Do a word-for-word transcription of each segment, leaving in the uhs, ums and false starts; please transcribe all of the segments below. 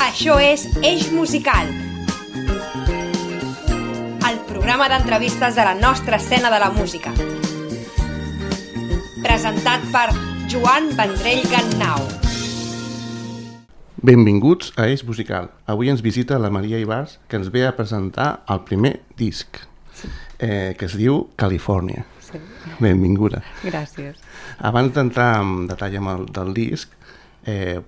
Això és Eix Musical, el programa d'entrevistes de la nostra escena de la música. Presentat per Joan Vendrell Gannau. Benvinguts a Eix Musical. Avui ens visita la Maria Ibars, que ens ve a presentar el primer disc, sí. eh, que es diu Califòrnia. Sí. Benvinguda. Gràcies. Abans d'entrar en detall amb el del disc, eh,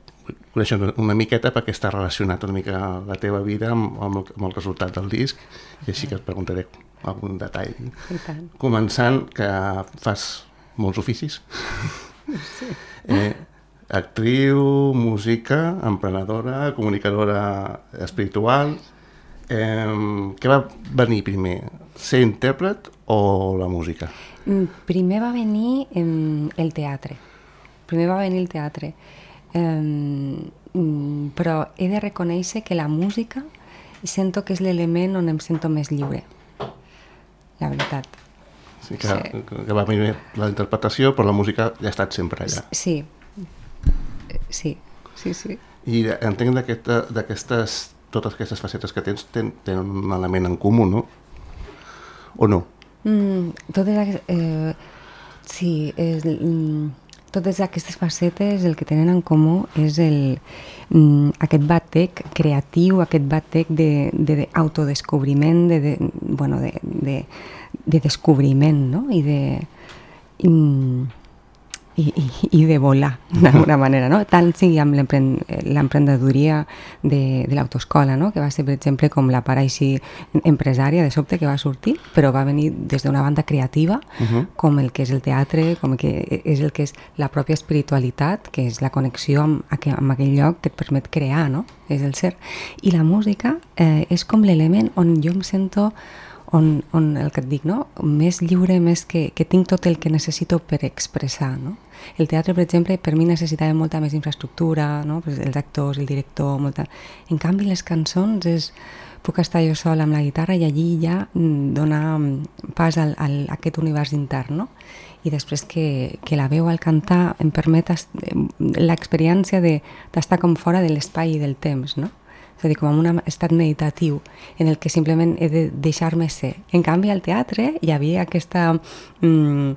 coneixem una miqueta perquè està relacionat una mica la teva vida amb, amb, el, amb el resultat del disc, i així que et preguntaré algun detall. I tant. Començant, que fas molts oficis. Sí. Eh, actriu, música, emprenedora, comunicadora espiritual. Eh, què va venir primer? Ser intèrpret o la música? Primer va venir eh, el teatre. Primer va venir el teatre. Eh, però he de reconèixer que la música sento que és l'element on em sento més lliure. La veritat. Sí, que, sí. que va venir la interpretació, però la música ja ha estat sempre allà. Sí, sí, sí, sí. I entenc d'aquestes, totes aquestes facetes que tens, ten, tenen un element en comú, no? O no? Mm, totes, eh, sí, és, mm, totes aquestes facetes el que tenen en comú és el, mm, aquest batec creatiu, aquest batec d'autodescobriment, de, de, bueno, de, de, de descobriment, no? I de... Mm, I, i, i de volar, d'alguna manera, no? Tant sigui amb l'emprenedoria de, de l'autoescola, no? Que va ser, per exemple, com la part així empresària de sobte que va sortir, però va venir des d'una banda creativa, uh-huh. com el que és el teatre, com que és el que és la pròpia espiritualitat, que és la connexió amb, amb aquell lloc que et permet crear, no? És el ser. I la música eh, és com l'element on jo em sento On, on el que et dic, no? Més lliure, més que, que tinc tot el que necessito per expressar, no? El teatre, per exemple, per mi necessitava molta més infraestructura, no? Pues els actors, el director, molta... En canvi, les cançons és... Puc estar jo sola amb la guitarra i allí ja donar pas al, al, a aquest univers intern, no? I després que, que la veu al cantar em permet l'experiència d'estar com fora de l'espai i del temps, no? És a dir, com en un estat meditatiu en el que simplement he de deixar-me ser. En canvi, al teatre hi havia aquesta, mm,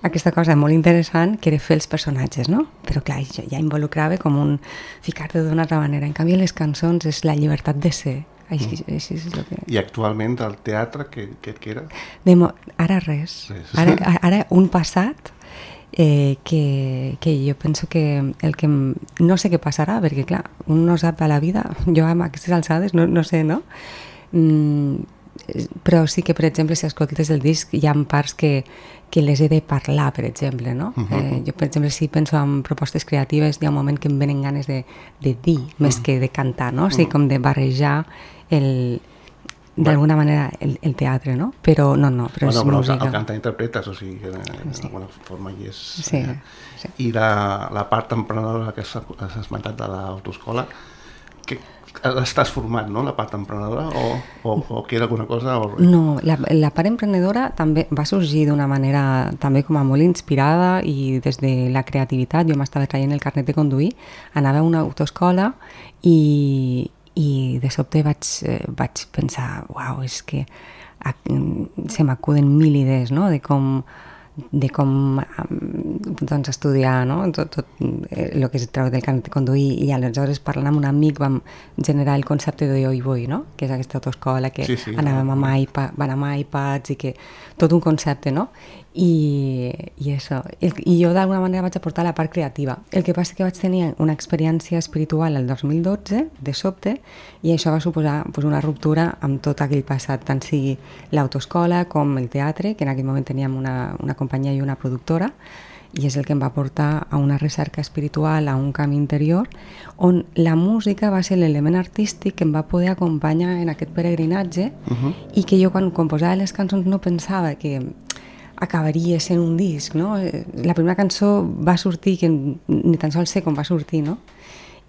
aquesta cosa molt interessant que era fer els personatges, no? Però clar, ja involucrava com un ficar-te d'una altra manera. En canvi, les cançons és la llibertat de ser. Així, mm. així és el que... I actualment al teatre què, què et queda? Demo, ara res. res. Ara, ara un passat Eh, que, que jo penso que el que no sé què passarà, perquè clar, un no sap a la vida, jo amb aquestes alçades no, no sé, no? Mm, però sí que, per exemple, si escoltes el disc hi ha parts que, que les he de parlar, per exemple, no? Uh-huh. eh, jo, per exemple, si penso en propostes creatives, hi ha un moment que em venen ganes de, de dir més uh-huh. que de cantar, no? O sigui, com de barrejar el... d'alguna manera el, el teatre, no? Però no, no, però bueno, és però música. El cantar interpretes, o sigui, que d'alguna sí. forma hi és... Sí, eh? sí. I la, la part emprenedora que has esmentat de l'autoescola, que l'estàs formant, no?, la part emprenedora, o, o, o queda alguna cosa? O... No, la, la part emprenedora també va sorgir d'una manera també com a molt inspirada i des de la creativitat. Jo m'estava traient el carnet de conduir, anava a una autoescola i... i de sobte vaig, eh, vaig pensar, uau, és que a, se m'acuden mil idees, no?, de com, de com doncs, estudiar, no?, tot, tot el que és treure del carnet de conduir, i aleshores parlant amb un amic vam generar el concepte de Oi Voi, no?, que és aquesta autoescola que sí, sí, anàvem amb, iPad, van amb iPads i que tot un concepte, no?, i, i això, I, i jo d'alguna manera vaig aportar la part creativa. El que passa és que vaig tenir una experiència espiritual el dos mil dotze, de sobte, i això va suposar pues, una ruptura amb tot aquell passat, tant sigui l'autoescola com el teatre, que en aquell moment teníem una, una companyia i una productora, i és el que em va portar a una recerca espiritual, a un camí interior, on la música va ser l'element artístic que em va poder acompanyar en aquest peregrinatge, uh-huh. i que jo quan composava les cançons no pensava que acabaria sent un disc, no? La primera cançó va sortir, que ni tan sols sé com va sortir, no?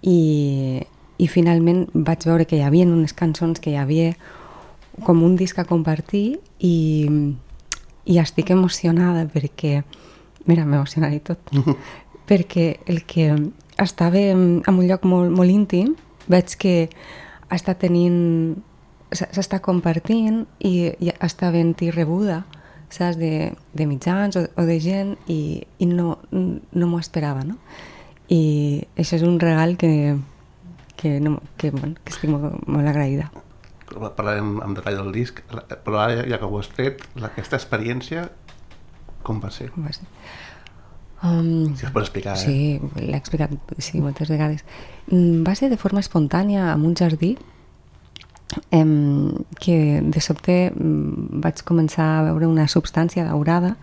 I, i finalment vaig veure que hi havia unes cançons que hi havia com un disc a compartir i, i estic emocionada perquè, mira, m'emocionaré tot, perquè el que estava en un lloc molt, molt íntim veig que està tenint, s'està compartint i, i està havent-hi rebuda, saps, de, de mitjans o, o de gent i, i no, no m'ho esperava, no? I això és un regal que, que, no, que, bueno, que estic molt, molt agraïda. Parlarem en detall del disc, però ara ja que ho has tret, aquesta experiència com va ser? Com va ser? Um, si es pot explicar, eh? Sí, l'he explicat sí, moltes vegades. Va ser de forma espontània en un jardí em, que de sobte vaig començar a veure una substància daurada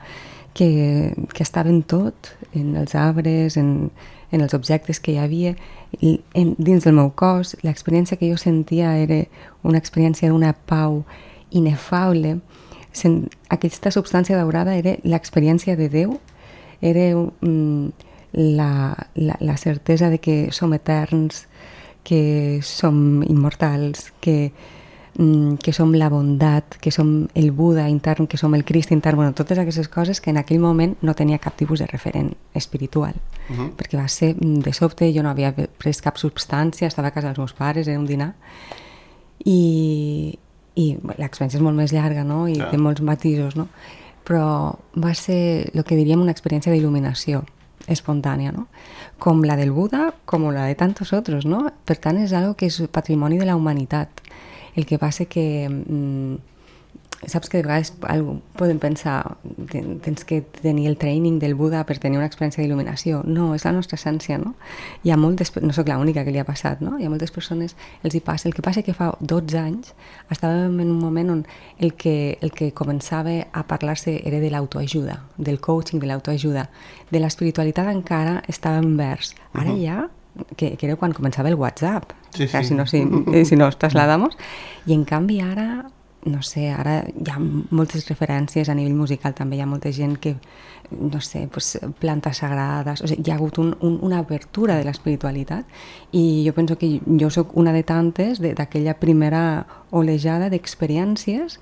que, que estava en tot, en els arbres, en, en els objectes que hi havia, i en, dins del meu cos. L'experiència que jo sentia era una experiència d'una pau inefable. Sen, aquesta substància daurada era l'experiència de Déu, era um, la, la, la certesa de que som eterns, que som immortals, que, um, que som la bondat, que som el Buda intern, que som el Crist intern, bueno, totes aquestes coses que en aquell moment no tenia cap tipus de referent espiritual, uh-huh. perquè va ser de sobte, jo no havia pres cap substància, estava a casa dels meus pares, era un dinar, i, i l'experiència és molt més llarga, no? I yeah. té molts matisos, no? Però va ser el que diríem una experiència d'il·luminació espontània, no? Com la del Buda, com la de tantos otros, no? Per tant, és algo que és patrimoni de la humanitat. El que passa que mmm, saps que de vegades algú, podem pensar tens que tenir el training del Buda per tenir una experiència d'il·luminació. No, és la nostra essència, no? Hi ha moltes, no sóc l'única que li ha passat, no? Hi ha moltes persones, els hi passa. El que passa que fa dotze anys estàvem en un moment on el que, el que començava a parlar-se era de l'autoajuda, del coaching, de l'autoajuda. De l'espiritualitat encara estava en vers. Ara uh-huh. ja, que, que era quan començava el WhatsApp, sí, o sea, sí. si no, si, si no os trasladamos, i en canvi ara no sé, ara hi ha moltes referències a nivell musical, també hi ha molta gent que, no sé, pues, plantes sagrades, o sigui, hi ha hagut un, un, una apertura de l'espiritualitat i jo penso que jo sóc una de tantes d'aquella primera olejada d'experiències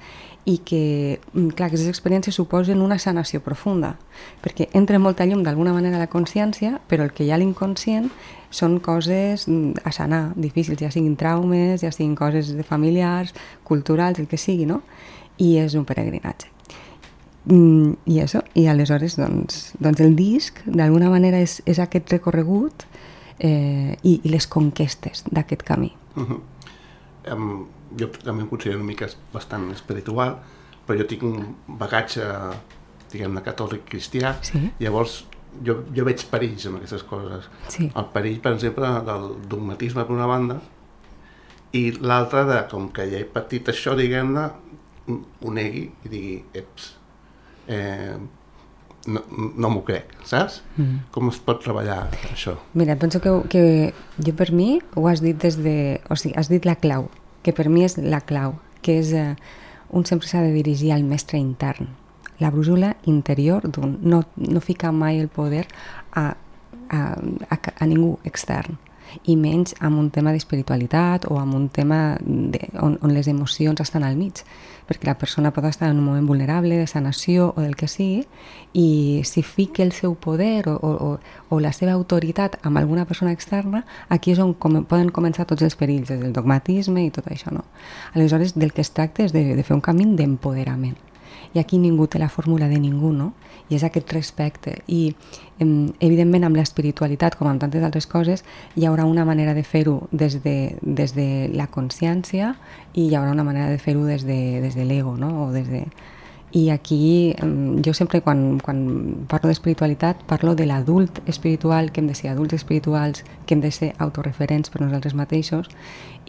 i que, clar, aquestes experiències suposen una sanació profunda, perquè entra molta llum d'alguna manera a la consciència, però el que hi ha a l'inconscient són coses a sanar, difícils, ja siguin traumes, ja siguin coses de familiars, culturals, el que sigui, no? I és un peregrinatge. I això, i aleshores, doncs, doncs el disc, d'alguna manera, és, és aquest recorregut eh, i, i les conquestes d'aquest camí. Uh-huh. Um, jo també em considero una mica bastant espiritual, però jo tinc un bagatge, diguem-ne, catòlic cristià, sí. Llavors jo, jo veig perills en aquestes coses. Sí. El perill, per exemple, del dogmatisme per una banda, i l'altra de, com que ja he patit això, diguem-ne, ho negui i digui, eps, eh, no, no m'ho crec, saps? Mm. Com es pot treballar això? Mira, penso que, que jo per mi ho has dit des de... O sigui, has dit la clau, que per mi és la clau, que és eh, un sempre s'ha de dirigir al mestre intern, la brújula interior d'un, no, no ficar mai el poder a, a, a, a ningú extern, i menys amb un tema d'espiritualitat o amb un tema de, on, on les emocions estan al mig, perquè la persona pot estar en un moment vulnerable de sanació o del que sigui, i si fica el seu poder o, o, o la seva autoritat amb alguna persona externa, aquí és on com, poden començar tots els perills, des del dogmatisme i tot això, no? Aleshores, del que es tracta és de, de fer un camí d'empoderament. I aquí ningú té la fórmula de ningú, no? I és aquest respecte. I, evidentment, amb l'espiritualitat, com amb tantes altres coses, hi haurà una manera de fer-ho des de, des de la consciència i hi haurà una manera de fer-ho des de, des de l'ego, no? O des de... I aquí, jo sempre, quan, quan parlo d'espiritualitat, parlo de l'adult espiritual, que hem de ser adults espirituals, que hem de ser autorreferents per nosaltres mateixos,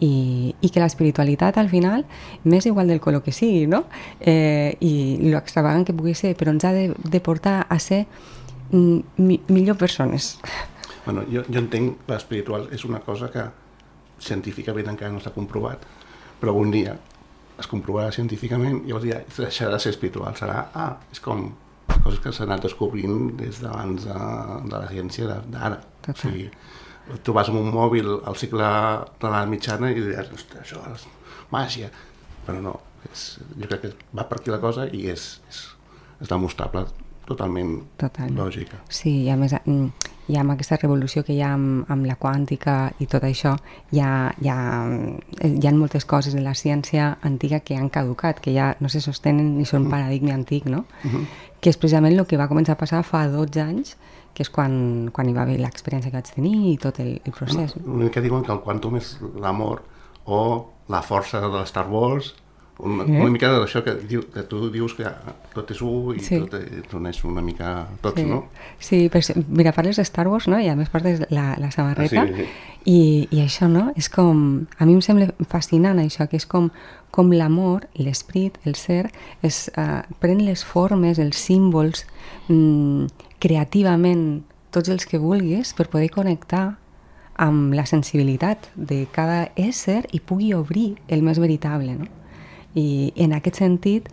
i, i que l'espiritualitat, al final, m'és igual del color que sigui, no? Eh, I l'extravagant que pugui ser, però ens ha de, de portar a ser mi, millor persones. Bueno, jo, jo entenc que l'espiritual és una cosa que científicament encara no s'ha comprovat, però un dia es comprovarà científicament i llavors ja deixarà de ser espiritual, serà, ah, és com coses que s'han anat descobrint des d'abans de, de la ciència d'ara. O sigui, tu vas amb un mòbil al segle de la mitjana i diràs, ostres, això és màgia, però no, és, jo crec que va per aquí la cosa i és, és, és demostrable totalment, totalment lògica. Sí, i a més hi ha amb aquesta revolució que hi ha amb, amb la quàntica i tot això, hi ha, hi, ha, hi ha moltes coses de la ciència antiga que han caducat, que ja no se sostenen ni són paradigma antic, no? Uh-huh. Que és precisament el que va començar a passar fa dotze anys, que és quan, quan hi va haver l'experiència que vaig tenir i tot el, el procés. L'únic que diuen que el quàntum és l'amor o la força de les Star Wars, una, eh? una mica d'això que, diu, que tu dius que tot és u i sí. tot és una mica tots, sí. no? Sí, però, mira, parles de Star Wars, no? I a més portes la, la samarreta, ah, sí, sí. I, i això, no? És com, a mi em sembla fascinant això, que és com, com l'amor, l'esprit, el ser, es, uh, pren les formes, els símbols, mm, creativament, tots els que vulguis, per poder connectar amb la sensibilitat de cada ésser i pugui obrir el més veritable, no? I en aquest sentit,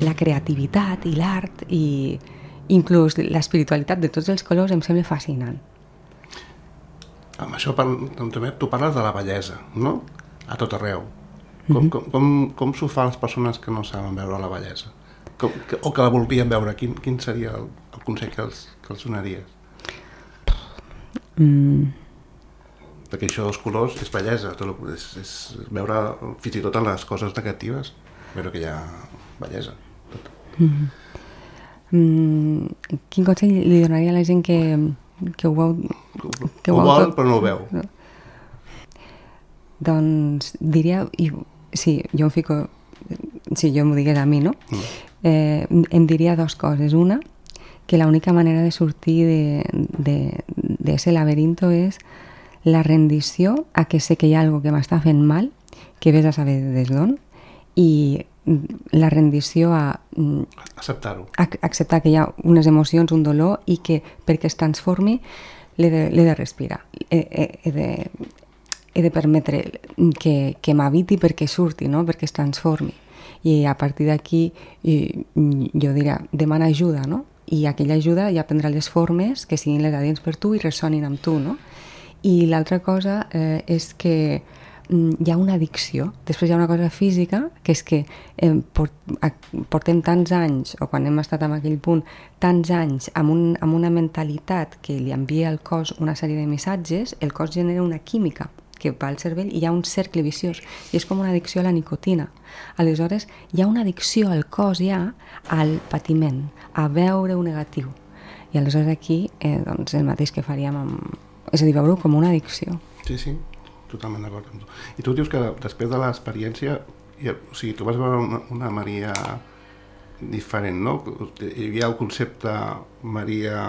la creativitat i l'art i inclús l'espiritualitat de tots els colors em sembla fascinant. Amb això també tu parles de la bellesa, no? A tot arreu. Com, mm-hmm. com, com, com s'ho fan les persones que no saben veure la bellesa? Com, que, o que la voldrien veure? Quin, quin seria el, el consell que els, que els donaries? Mm. Perquè això dels colors és bellesa, tot, és, és veure fins i tot en les coses negatives, veure que hi ha bellesa. Tot. Mm. Mm, quin consell li donaria a la gent que, que ho veu... Que ho, ho vol tot, però no ho veu. No. Doncs diria... I, sí, jo em fico... Si jo m'ho digués a mi, no? Mm. Eh, em diria dues coses. Una, que l'única manera de sortir d'ese laberinto és la rendició a que sé que hi ha alguna que m'està fent mal, que ves a saber des d'on, i la rendició a... Acceptar-ho. A, acceptar que hi ha unes emocions, un dolor, i que perquè es transformi l'he de, l'he de respirar. He, he, he, de, he de permetre que, que m'habiti perquè surti, no? Perquè es transformi. I a partir d'aquí jo diria, demana ajuda, no? I aquella ajuda ja prendrà les formes que siguin les adients per tu i ressonin amb tu, no? I l'altra cosa eh, és que mm, hi ha una addicció. Després hi ha una cosa física, que és que eh, port, a, portem tants anys, o quan hem estat en aquell punt, tants anys amb, un, amb una mentalitat que li envia al cos una sèrie de missatges, el cos genera una química que va al cervell i hi ha un cercle viciós. I és com una addicció a la nicotina. Aleshores, hi ha una addicció al cos ja al patiment, a veure-ho negatiu. I aleshores aquí, eh, doncs, el mateix que faríem amb... És a dir, veure-ho com una addicció. Sí, sí, totalment d'acord amb tu. I tu dius que després de l'experiència, o sigui, tu vas veure una, una Maria diferent, no? Hi havia el concepte Maria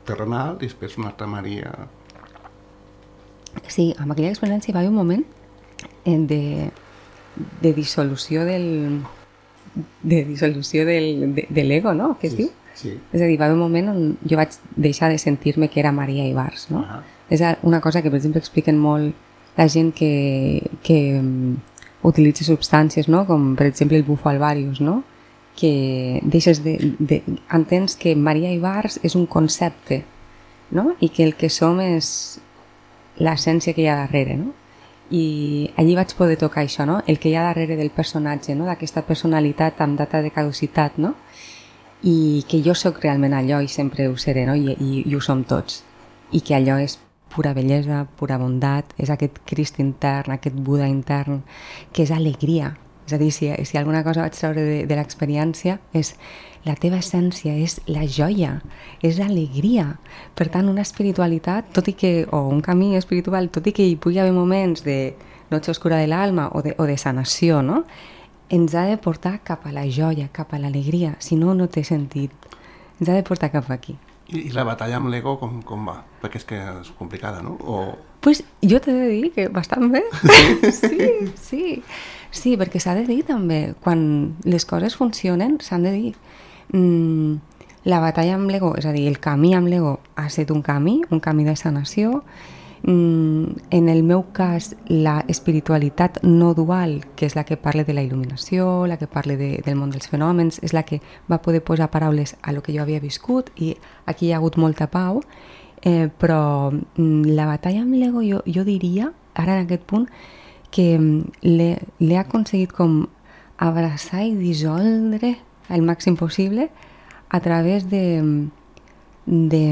terrenal i després una altra Maria... Sí, amb aquella experiència va haver un moment de, de dissolució del... de dissolució del, de, de l'ego, no? Què es sí. diu? Sí. És a dir, va haver un moment on jo vaig deixar de sentir-me que era Maria Ibars, no? Uh-huh. És una cosa que, per exemple, expliquen molt la gent que, que um, utilitza substàncies, no? Com, per exemple, el bufo alvarius, no? Que deixes de, de... Entens que Maria Ibars és un concepte, no? I que el que som és l'essència que hi ha darrere, no? I allí vaig poder tocar això, no? El que hi ha darrere del personatge, no? D'aquesta personalitat amb data de caducitat, no? I que jo sóc realment allò i sempre ho seré, no? I, i, i ho som tots. I que allò és pura bellesa, pura bondat, és aquest Crist intern, aquest Buda intern, que és alegria. És a dir, si, si alguna cosa vaig treure de, de l'experiència és la teva essència, és la joia, és alegria. Per tant, una espiritualitat, tot i que, o un camí espiritual, tot i que hi pugui haver moments de noche oscura de l'alma o de, o de sanació, no? Ens ha de portar cap a la joia, cap a l'alegria, si no, no té sentit. Ens ha de portar cap aquí. I, i la batalla amb l'ego com, com va? Perquè és que és complicada, no? O... Pues jo t'he de dir que bastant bé. Sí, sí. Sí, perquè s'ha de dir també, quan les coses funcionen, s'han de dir. Mm, la batalla amb l'ego, és a dir, el camí amb l'ego ha estat un camí, un camí de sanació. Mm, en el meu cas, la espiritualitat no dual, que és la que parla de la il·luminació, la que parla de, del món dels fenòmens, és la que va poder posar paraules a lo que jo havia viscut, i aquí hi ha hagut molta pau, eh, però mm, la batalla amb l'ego jo, jo diria, ara en aquest punt, que l'he aconseguit com abraçar i dissoldre al màxim possible a través de... de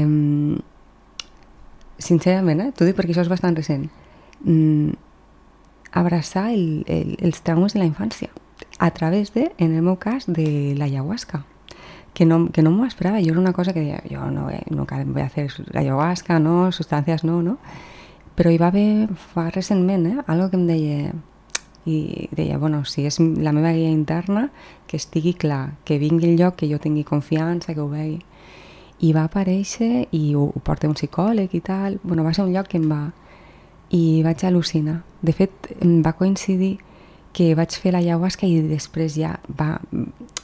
sincerament, eh? T'ho dic perquè això és bastant recent. Mm, abraçar el, el, els traumes de la infància a través de, en el meu cas, de l'ayahuasca. Que no, que no m'ho esperava. Jo era una cosa que deia, jo no, no voy a hacer ayahuasca, no, sustancias no, no. Però hi va haver, fa recentment, eh, algo que em deia, i deia, bueno, si és la meva guia interna, que estigui clar, que vingui el lloc, que jo tingui confiança, que ho vegi. I va aparèixer, i ho, ho porta un psicòleg i tal, bueno, va ser un lloc que em va... I vaig al·lucinar. De fet, em va coincidir que vaig fer l'ayahuasca i després ja va,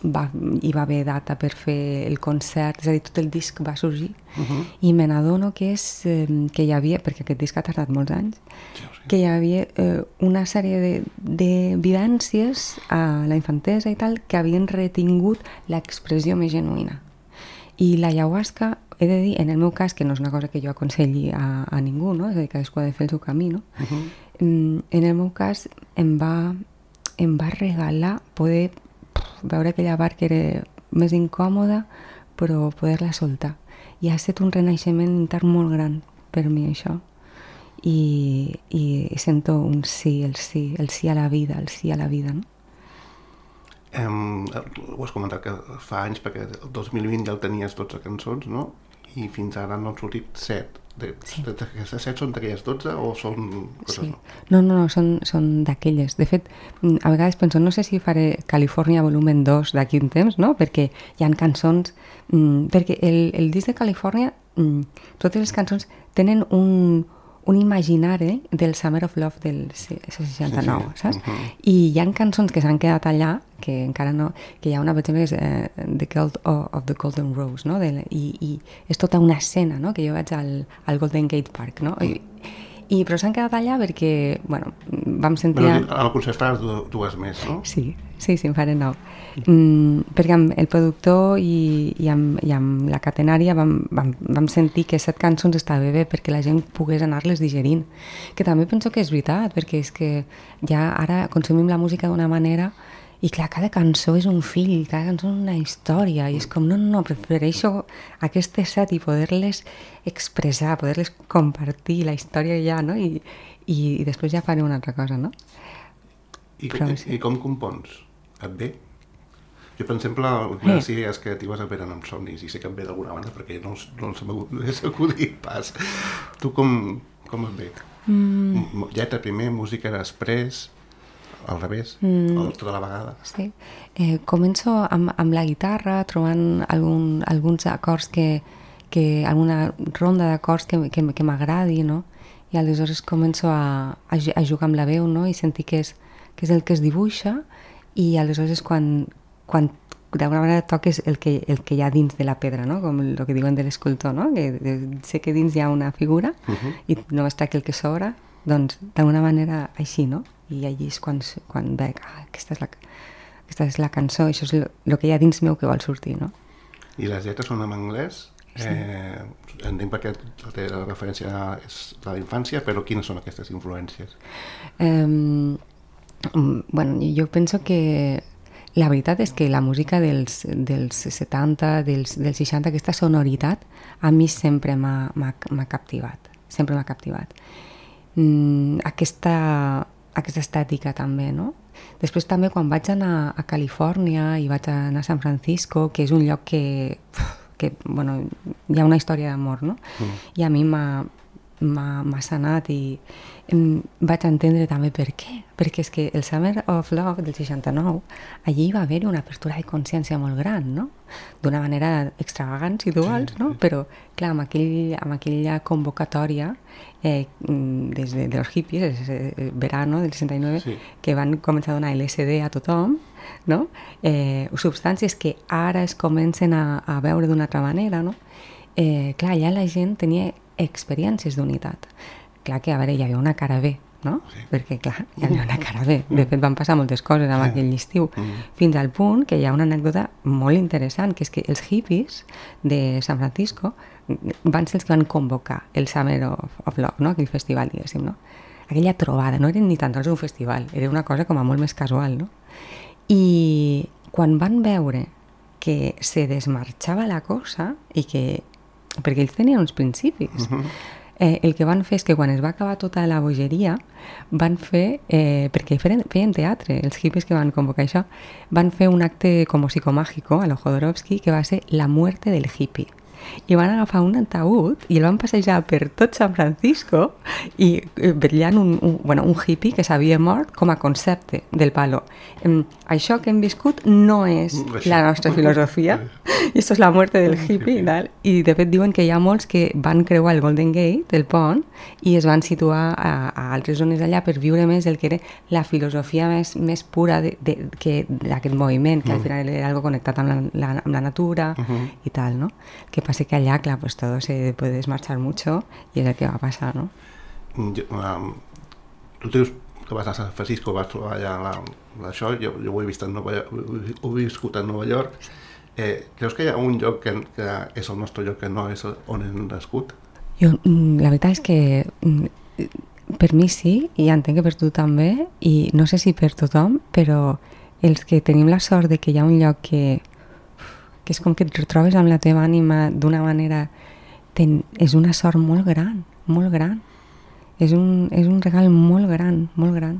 va, hi va haver data per fer el concert, és a dir, tot el disc va sorgir. Uh-huh. I me n'adono que és eh, que hi havia, perquè aquest disc ha tardat molts anys, sí, sí. que hi havia eh, una sèrie de, de vivències a la infantesa i tal que havien retingut l'expressió més genuïna. I l'ayahuasca, he de dir, en el meu cas, que no és una cosa que jo aconselli a, a ningú, no? És a dir, cadascú ha de fer el seu camí, no? Uh-huh. En el meu cas em va, em va regalar poder pff, veure aquella part que era més incòmoda, però poder-la soltar. I ha estat un renaixement intern molt gran per mi, això. I, i sento un sí, el sí, el sí a la vida, el sí a la vida, no? Um, ho has comentat que fa anys, perquè el dos mil vint ja el tenies dotze cançons, no? I fins ara n'han sortit set. De, sí. de, aquestes set són d'aquelles dotze o són coses sí. no? No, no, no, són, són d'aquelles. De fet, a vegades penso, no sé si faré Califòrnia volumen dos d'aquí un temps, no? Perquè hi ha cançons... Mm, perquè el, el disc de Califòrnia, mm, totes les cançons tenen un... un imaginari del Summer of Love del seixanta-nou, sí, sí. saps? Uh-huh. I hi ha cançons que s'han quedat allà, que encara no... que hi ha una, per exemple, que és uh, The Cult of the Golden Rose, no? De, i, I és tota una escena, no? Que jo vaig al, al Golden Gate Park, no? I, i, però s'han quedat allà perquè, bueno, vam sentir... Bueno, al concert faràs dues més, no? Sí, sí, sí, en faré nou. Mm, perquè amb el productor i, i, amb, i amb la catenària vam, vam, vam sentir que set cançons estava bé perquè la gent pogués anar-les digerint, que també penso que és veritat, perquè és que ja ara consumim la música d'una manera i clar, cada cançó és un fill, cada cançó és una història i és com, no, no, no, prefereixo aquestes set i poder-les expressar, poder-les compartir la història ja, no? I, i, i després ja faré una altra cosa, no? I, Però, sí. I com compons? Et ve? Jo, per exemple, una de les idees creatives em venen amb somnis i sé que em ve d'alguna banda perquè no, no se m'ha acudit pas. Tu com, com et ve? Mm. Lletra primer, música després, al revés, mm. o tota la vegada? Sí. Eh, començo amb, amb la guitarra, trobant algun, alguns acords que, que alguna ronda d'acords que, que, que m'agradi, no? I aleshores començo a, a, a jugar amb la veu, no? I sentir que és, que és el que es dibuixa i aleshores quan, quan d'alguna manera toques el que, el que hi ha dins de la pedra, no? Com el que diuen de l'escultor, no? Que de, sé que dins hi ha una figura uh-huh. i només tracta el que sobra, doncs d'alguna manera així, no? I allí és quan, quan veig, ah, aquesta és la, aquesta és la cançó, això és el que hi ha dins meu que vol sortir, no? I les lletres són en anglès? Sí. Eh, entenc perquè la referència és de la infància, però quines són aquestes influències? Um, bueno, jo penso que la veritat és que la música dels, dels setanta, dels, dels seixanta, aquesta sonoritat a mi sempre m'ha, m'ha, m'ha captivat, sempre m'ha captivat. Mm, aquesta, aquesta estètica també, no? Després també quan vaig anar a Califòrnia i vaig anar a San Francisco, que és un lloc que, que bueno, hi ha una història d'amor, no? Mm. I a mi m'ha m'ha, m'ha sanat i em, vaig entendre també per què. Perquè és que el Summer of Love del seixanta-nou, allí va haver una apertura de consciència molt gran, no? D'una manera extravagant, si tu vols, no? Però, clar, amb, aquell, amb aquella convocatòria eh, des de, de los hippies, el verano del seixanta-nou, sí, que van començar a donar L S D a tothom, no? Eh, substàncies que ara es comencen a, a veure d'una altra manera, no? Eh, clar, allà la gent tenia experiències d'unitat. Clar que, a veure, hi havia una cara B, no? Sí. Perquè, clar, hi havia una cara B. De fet, van passar moltes coses amb sí. aquell estiu. Mm. Fins al punt que hi ha una anècdota molt interessant, que és que els hippies de San Francisco van ser els que van convocar el Summer of, of Love, no? Aquell festival, diguéssim, no? Aquella trobada, no era ni tan sols un festival, era una cosa com a molt més casual, no? I quan van veure que se desmarxava la cosa i que... perquè ells tenien uns principis. Uh-huh. Eh, el que van fer és que quan es va acabar tota la bogeria van fer, eh, perquè feien, feien teatre, els hippies que van convocar això, van fer un acte com psicomágico a lo Jodorowsky que va ser la muerte del hippie. I van agafar un ataúd i el van passejar per tot San Francisco i vetllant un, un, bueno, un hippie que s'havia mort com a concepte del palo. Um, això que hem viscut no és la nostra filosofia i això és la muerte del hippie i tal. I de fet diuen que hi ha molts que van creuar el Golden Gate, el pont, i es van situar a, a altres zones allà per viure més el que era la filosofia més, més pura de, de, que d'aquest moviment, que al final era algo connectat amb la, la, amb la natura uh-huh. i tal, no? Que pasa que allá, claro, pues todo se puede desmarchar mucho y es el que va a pasar, ¿no? Jo, um, tu dius que vas a San Francisco, vas trobar allà la, la, això, jo, jo ho he vist en Nova York, ho he viscut a Nova York. Eh, creus que hi ha un lloc que, que és el nostre lloc que no és on hem nascut? Jo, la veritat és que per mi sí, i entenc que per tu també, i no sé si per tothom, però els que tenim la sort de que hi ha un lloc que que és com que et retrobes amb la teva ànima d'una manera... Ten, és una sort molt gran, molt gran. És un, és un regal molt gran, molt gran.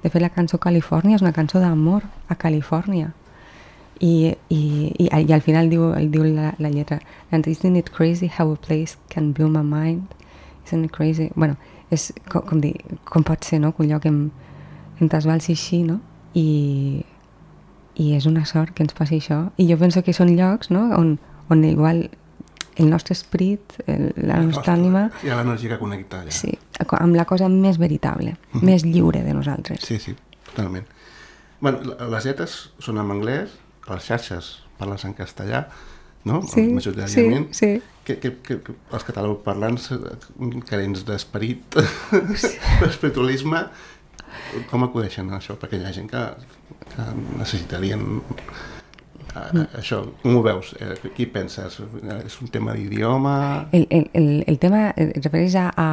De fet, la cançó Califòrnia és una cançó d'amor a Califòrnia. I, i, i, i al final diu, diu la, la lletra And isn't it crazy how a place can blow my mind? Isn't it crazy? Bueno, és com, com, dir, com pot ser, no? Que un lloc em, em t'esbalci així, no? I... i és una sort que ens passi això, i jo penso que són llocs, no?, on, on igual el nostre esperit, el, la el nostra nostre, ànima... Hi ha l'energia que connecta allà. Sí, amb la cosa més veritable, mm-hmm. més lliure de nosaltres. Sí, sí, totalment. Bueno, les lletres són en anglès, les xarxes parles en castellà, no?, sí, majoritàriament. Sí, sí. Que, que, que, que els catalanoparlants carents d'esperit, sí. espiritualisme, com acudeixen a això? Perquè hi ha gent que, que necessitarien a, a, això. Com ho veus? Eh, qui penses? És un tema d'idioma? El, el, el, el tema es refereix a... A,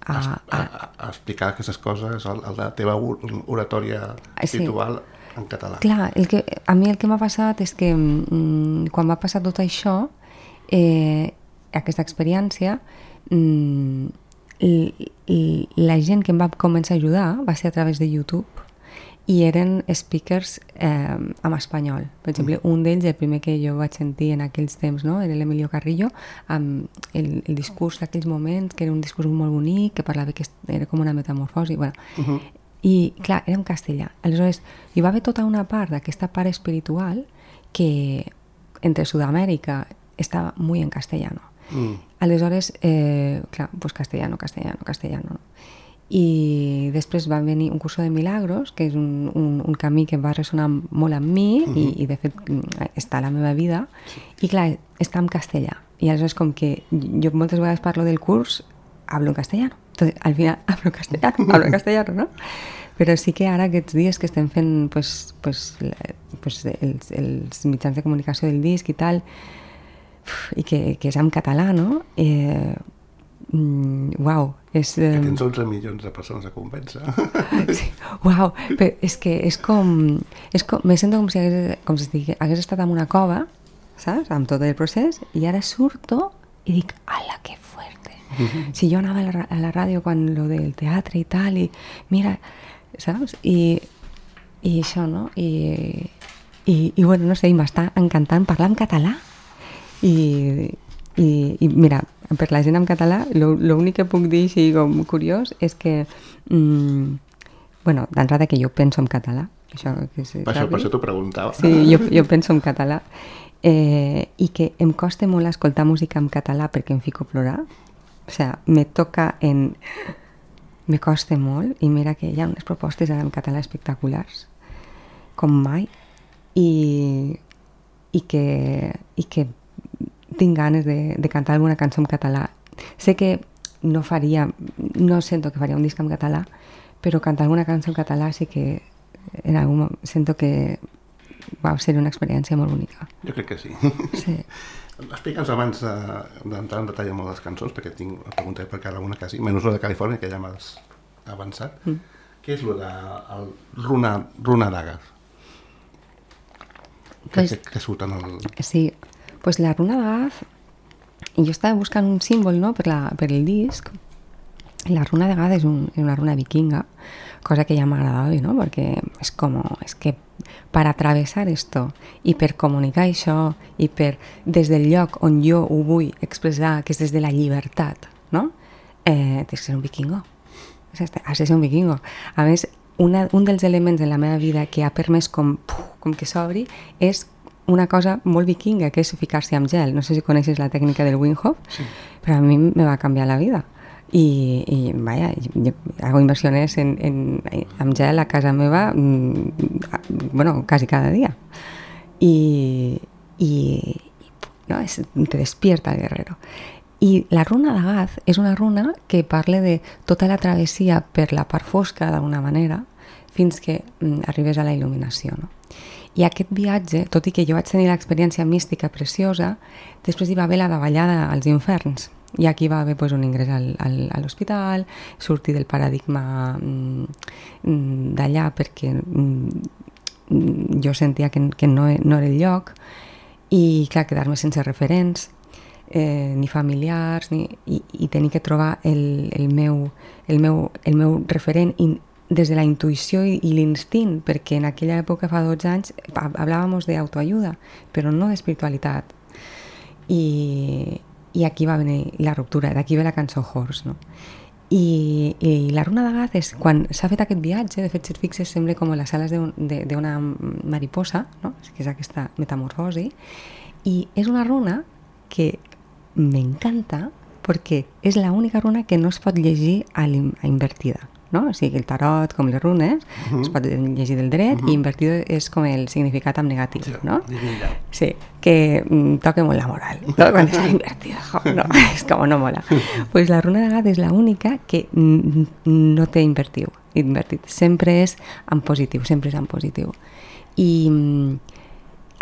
a, a, a, a explicar aquestes coses, a, a la teva oratòria espiritual sí. en català. Clar, el que, a mi el que m'ha passat és que mm, quan va passar tot això, eh, aquesta experiència... Mm, I, i la gent que em va començar a ajudar va ser a través de YouTube i eren speakers eh, en espanyol. Per exemple, un d'ells, el primer que jo vaig sentir en aquells temps, no?, era l'Emilio Carrillo, amb el, el discurs d'aquells moments, que era un discurs molt bonic, que parlava que era com una metamorfosi. Bueno, uh-huh. I, clar, era en castellà. Aleshores, hi va haver tota una part d'aquesta part espiritual que entre Sud-amèrica estava molt en castellano. Mm. Aleshores, eh, clar, pues castellano, castellano, castellano, no? I després va venir un curso de milagros, que és un, un, un camí que va ressonar molt amb mi mm-hmm. i, i de fet està a la meva vida, sí. I clar, està en castellà. I aleshores com que jo moltes vegades parlo del curs, hablo en castellano. Entonces, al final, hablo en castellano, hablo en castellano, ¿no? Però sí que ara aquests dies que estem fent pues, pues, pues, els, els mitjans de comunicació del disc i tal, i que, que és en català, no? Eh, mm, uau, és... Eh... Que tens onze milions de persones a convèncer. Sí, uau, però és que és com... És com me sento com si hagués, com si hagués estat en una cova, saps? Amb tot el procés, i ara surto i dic, ala, que fuerte. Mm-hmm. Si jo anava a la, a la ràdio quan lo del teatre i tal, i mira, saps? I, i això, no? I, i, i bueno, no sé, m'està encantant parlar en català. I, i, i mira, per la gent en català l'únic que puc dir així com curiós és que mm, bueno, d'entrada que jo penso en català això, que se per, això, per això t'ho preguntava sí, jo, jo penso en català eh, i que em costa molt escoltar música en català perquè em fico a plorar, o sigui, me toca en me costa molt i mira que hi ha unes propostes en català espectaculars com mai i, i que i que tinc ganes de, de cantar alguna cançó en català. Sé que no faria, no sento que faria un disc en català, però cantar alguna cançó en català sí que en algun moment sento que va ser una experiència molt bonica. Jo crec que sí. Sí. Explica'ns abans d'entrar en detall amb les cançons, perquè tinc una pregunta per cada una quasi, menys la de Califòrnia, que ja m'has avançat. Mm. Què és el de el Runa, Runa Daga? que, Pues- que, que surt en el... Sí, pues la runa de Gaz, jo estava buscant un símbol, no?, per, la, per el disc. La runa de Gaz és, un, és una runa vikinga, cosa que ja m'agradava, no?, perquè és com, és que per atravessar esto i per comunicar això i per, des del lloc on jo ho vull expressar, que és des de la llibertat, no?, eh, tens que ser un vikingo. Has de ser un vikingo. A més, una, un dels elements en la meva vida que ha permès com, puf, com que s'obri és una cosa molt vikinga, que és ficar-se amb gel. No sé si coneixes la tècnica del Wim Hof, sí. Però a mi me va canviar la vida. Y, y vaya, yo hago inversiones en, en, en gel a casa meva, mmm, bueno, casi cada día. Y, y, no, es, te despierta el guerrero. I la runa de Gaz és una runa que parla de tota la travessia per la part fosca, d'alguna manera, fins que mm, arribes a la il·luminació, no? I aquest viatge, tot i que jo vaig tenir l'experiència mística preciosa, després hi va haver la davallada als inferns. I aquí va haver pues, un ingrés al, al, a l'hospital, sortir del paradigma mm, d'allà perquè mm, jo sentia que, que no, no era el lloc, i clar, quedar-me sense referents, eh, ni familiars, ni, i, i tenir que trobar el, el, meu, el, meu, el meu referent in, des de la intuïció i, i l'instint, perquè en aquella època, fa dotze anys, hablàvem d'autoajuda, però no d'espiritualitat. I, i aquí va venir la ruptura, d'aquí ve la cançó Horse, no? I, i la runa de Gaz és, quan s'ha fet aquest viatge, de fet, si et fixes, sembla com les ales d'una mariposa, no? Que és aquesta metamorfosi, i és una runa que m'encanta perquè és l'única runa que no es pot llegir a, a invertida, no? O sigui, el tarot, com les runes, uh-huh. es pot llegir del dret, uh-huh. i invertido és com el significat en negatiu, sí, no? Sí, que mm, toca molt la moral, no? Quan està invertida, jo, no, és com no mola. Pues la runa de Gaz és l'única que mm, no té invertiu, invertit, sempre és en positiu, sempre és en positiu. I mm,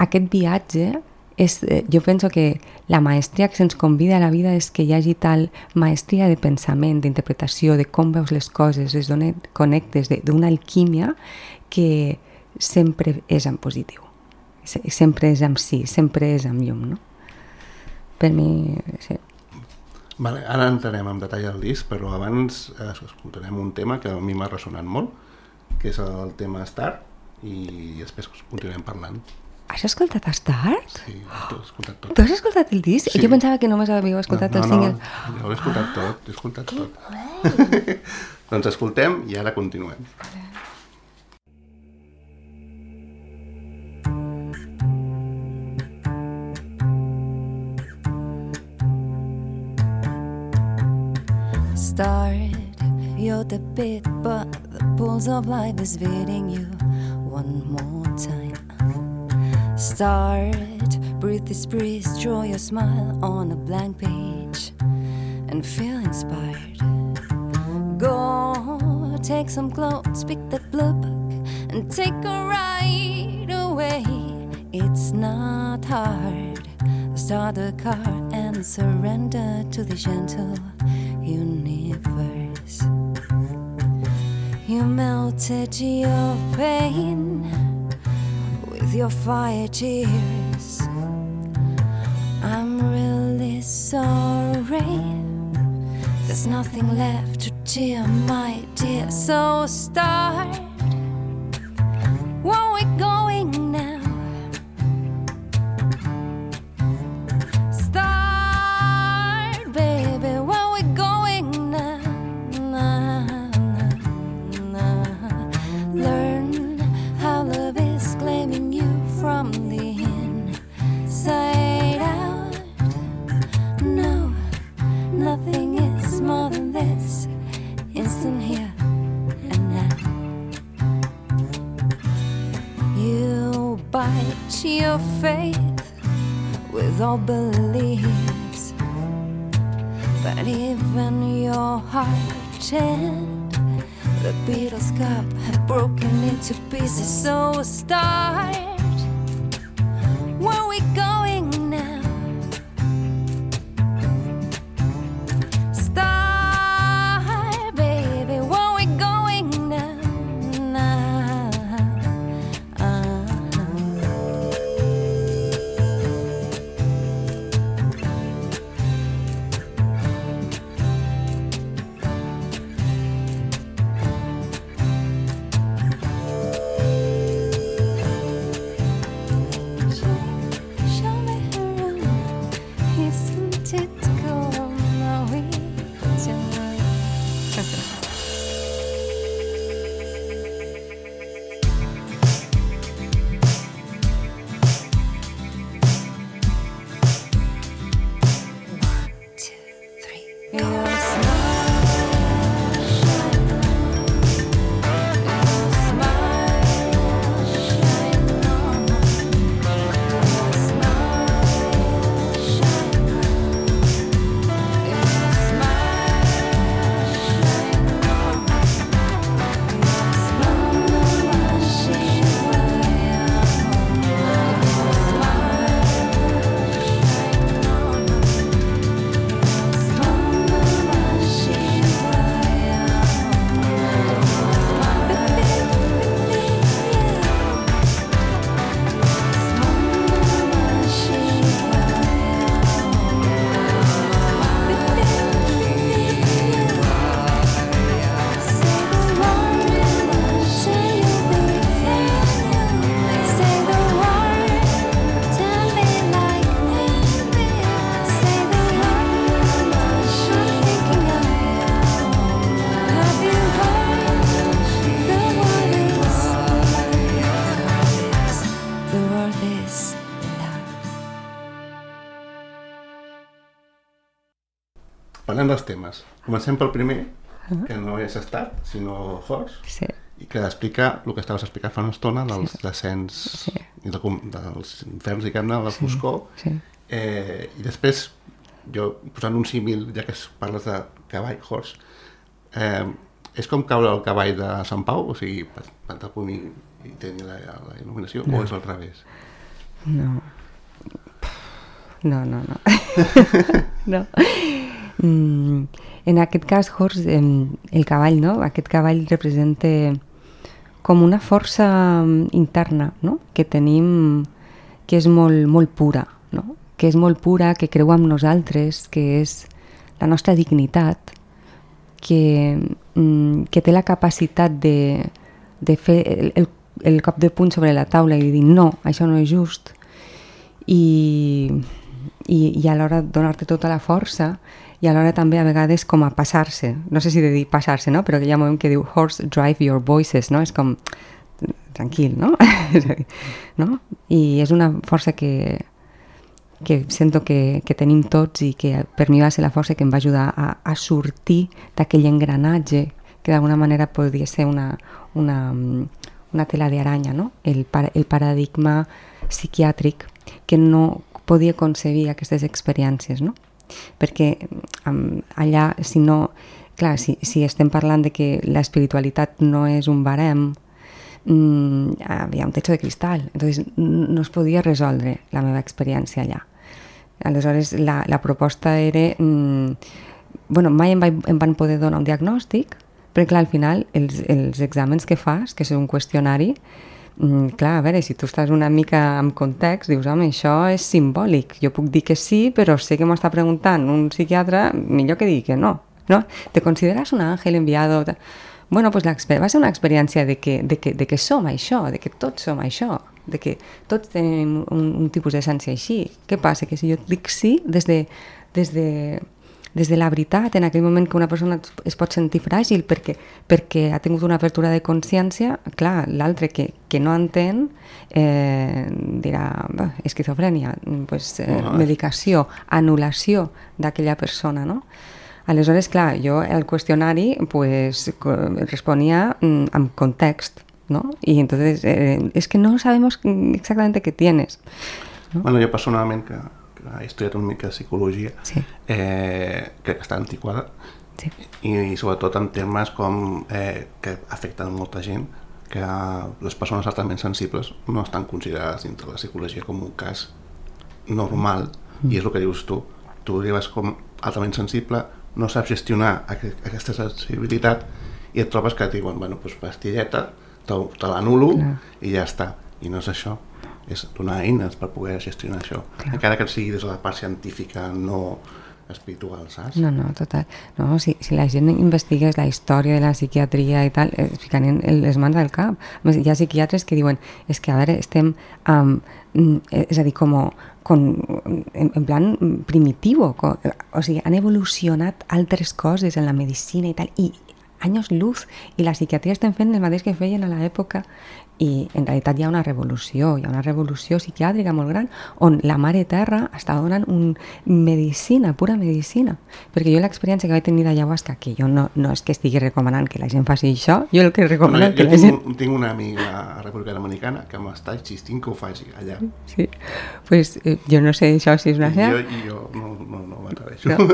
aquest viatge és, jo penso que la maestria que se'ns convida a la vida és que hi hagi tal maestria de pensament, d'interpretació, de com veus les coses, des d'on et connectes, d'una alquímia que sempre és en positiu, sempre és en sí, sempre és en llum, no? Per mi, sí. Vale, ara entrarem en detall al disc, però abans eh, escoltarem un tema que a mi m'ha ressonat molt, que és el tema Star, i després continuem parlant. Has escoltat Star? Sí, ho he escoltat tot. Tu has escoltat el disc? Sí. Jo pensava que només havíeu escoltat no, no, el single. No, no, jo l'he escoltat tot, l'he escoltat tot. Doncs escoltem i ara continuem. Start, you're the bit, but the pulse of life is fading you one more time. Start, breathe this breeze, draw your smile on a blank page and feel inspired. Go, take some clothes, pick that blue book and take a ride away. It's not hard. Start the car and surrender to the gentle universe. You melted your pain with your fire tears. I'm really sorry. There's nothing left to tear, my dear. So start. Where are we going now? Start, baby. Where are we going now? Nah, nah, nah. Learn how love is claiming you from the inside out. No, nothing is more than this instant here and now. You bite your faith with all beliefs, but even your heart and the Beatles' cup have broken into pieces. So start. Where are we going now? Start, baby. Where are we going now? Nah. Uh-huh. parlem dels temes. Comencem pel primer, que no és estat, sinó horse, Sí. i que explica el que estaves explicant fa una estona dels Sí. descens Sí. i de, com- dels inferns, diguem-ne, la foscor. Sí. Eh, I després, jo posant un símil, ja que es- parles de cavall, horse, eh, és com caure el cavall de Sant Pau, o sigui, plantar punt i, i tenir la, la il·luminació, no. O és al revés? No. No, no, no. no. Mm, en aquest cas, Horst, eh, el cavall, no? Aquest cavall representa com una força interna, no? Que tenim, que és molt, molt pura, no? Que és molt pura, que creu en nosaltres, que és la nostra dignitat, que, mm, que té la capacitat de, de fer el, el, el cop de puny sobre la taula i dir no, això no és just, i, i, i alhora donar-te tota la força, i alhora també a vegades com a passar-se, no sé si de dir passar-se, no? Però que hi ha un moment que diu horse drive your voices, no? És com tranquil, no? no? I és una força que, que sento que, que tenim tots i que per mi va ser la força que em va ajudar a, a sortir d'aquell engranatge que d'alguna manera podria ser una, una, una tela d'aranya, no? El, par, el paradigma psiquiàtric que no podia concebir aquestes experiències, no? Perquè um, allà, si no... Clar, si, si estem parlant de que l'espiritualitat no és un barem, mm, hi ha un techo de cristal, entonces no es podia resoldre la meva experiència allà. Aleshores, la, la proposta era... Mm, bueno, mai em, va, em van poder donar un diagnòstic, però clar, al final, els, els exàmens que fas, que és un qüestionari, mm, clar, a veure, si tu estàs una mica en context, dius, home, això és simbòlic, jo puc dir que sí, però sé que m'ho està preguntant un psiquiatre, millor que digui que no, no? ¿Te consideras un ángel enviado? Bueno, pues la, va ser una experiència de que, de, que, de que som això, de que tots som això, de que tots tenim un, un tipus d'essència així. Què passa? Que si jo dic sí, des de, des de, des de la veritat, en aquell moment que una persona es pot sentir fràgil perquè, perquè ha tingut una apertura de consciència, clar, l'altre que, que no entén eh, dirà, esquizofrènia, pues, eh, Oh, medicació, anul·lació d'aquella persona, no? Aleshores, clar, jo el qüestionari pues, responia mm, amb context, ¿no? Y entonces, eh, es que no sabemos exactamente qué tienes, ¿no? Bueno, jo personalment, que, que he estudiat una mica de psicologia, Sí. eh, que està antiquada, Sí. i, i sobretot en termes com eh, que afecten molta gent, que les persones altament sensibles no estan considerades dintre la psicologia com un cas normal, mm. i és el que dius tu, tu arribes com altament sensible, no saps gestionar aqu- aquesta sensibilitat i et trobes que et diuen, bueno, doncs pastilleta, te, te l'anulo i ja està. I no és això, és donar eines per poder gestionar això. Clar. Encara que sigui des de la part científica, no espiritual, saps? No, no, total. No, si, si la gent investigués la història de la psiquiatria i tal, es ficarien les mans al cap. A més, hi ha psiquiatres que diuen, és que a veure, estem, um, és a dir, com, com en, en plan primitivo, com, o sigui, han evolucionat altres coses en la medicina i tal, i anys luz, i la psiquiatria estem fent el mateix que feien a l'època, i en realitat hi ha una revolució, hi ha una revolució psiquiàtrica molt gran on la Mare Terra està donant un medicina, pura medicina, perquè jo l'experiència que vaig tenir d'ayahuasca, que jo no, no és que estigui recomanant que la gent faci això, jo el que recomano Bueno, que jo la tinc, gent... un, tinc una amiga a República Dominicana que m'està insistint que ho faci allà. Sí, pues eh, jo no sé això si és una I jo, cert, i jo no, no, no m'atreveixo. no.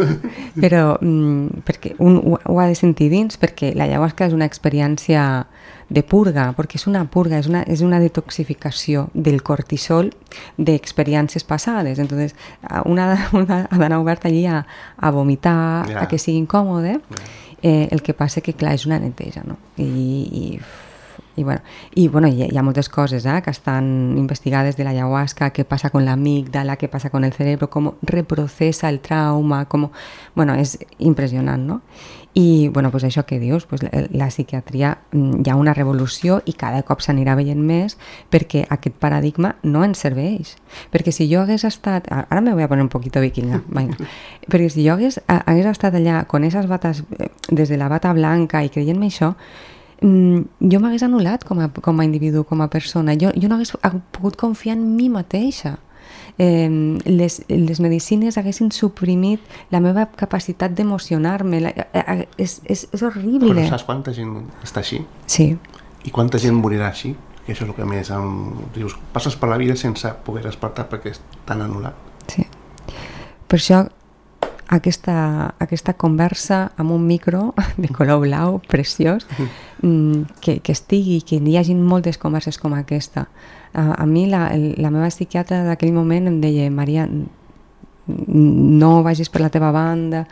Però mm, perquè un ho, ho ha de sentir dins, perquè l'ayahuasca és una experiència de purga, perquè és una purga, és una, és una detoxificació del cortisol d'experiències passades. Entonces, una, una ha d'anar oberta allí a, a vomitar, Ja. a que sigui incòmode. Ja. Eh, el que passa que, clar, és una neteja, no? I, i, i bueno, i, bueno hi, ha, hi ha moltes coses eh, que estan investigades de l'ayahuasca, què passa con l'amígdala, què passa con el cerebro, com reprocessa el trauma, com... Bueno, és impressionant, no? I, bueno, pues això que dius, pues la, la psiquiatria, hi ha una revolució i cada cop s'anirà veient més perquè aquest paradigma no ens serveix. Perquè si jo hagués estat... Ara me voy a poner un poquito vikinga, venga. Perquè si jo hagués, hagués estat allà con esas batas, des de la bata blanca i creient-me això, jo m'hagués anul·lat com a, com a individu, com a persona. Jo, jo no hagués pogut confiar en mi mateixa. Eh, les, les medicines haguessin suprimit la meva capacitat d'emocionar-me. La, eh, és, és, és horrible. Però saps quanta gent està així? Sí. I quanta gent morirà així? Que això és el que més em... dius, passes per la vida sense poder despertar perquè és tan anul·lat. Sí. Per això aquesta, aquesta conversa amb un micro de color blau preciós, que, que estigui, que hi hagi moltes converses com aquesta. A, a mi la, la meva psiquiatra d'aquell moment em deia, Maria, no vagis per la teva banda.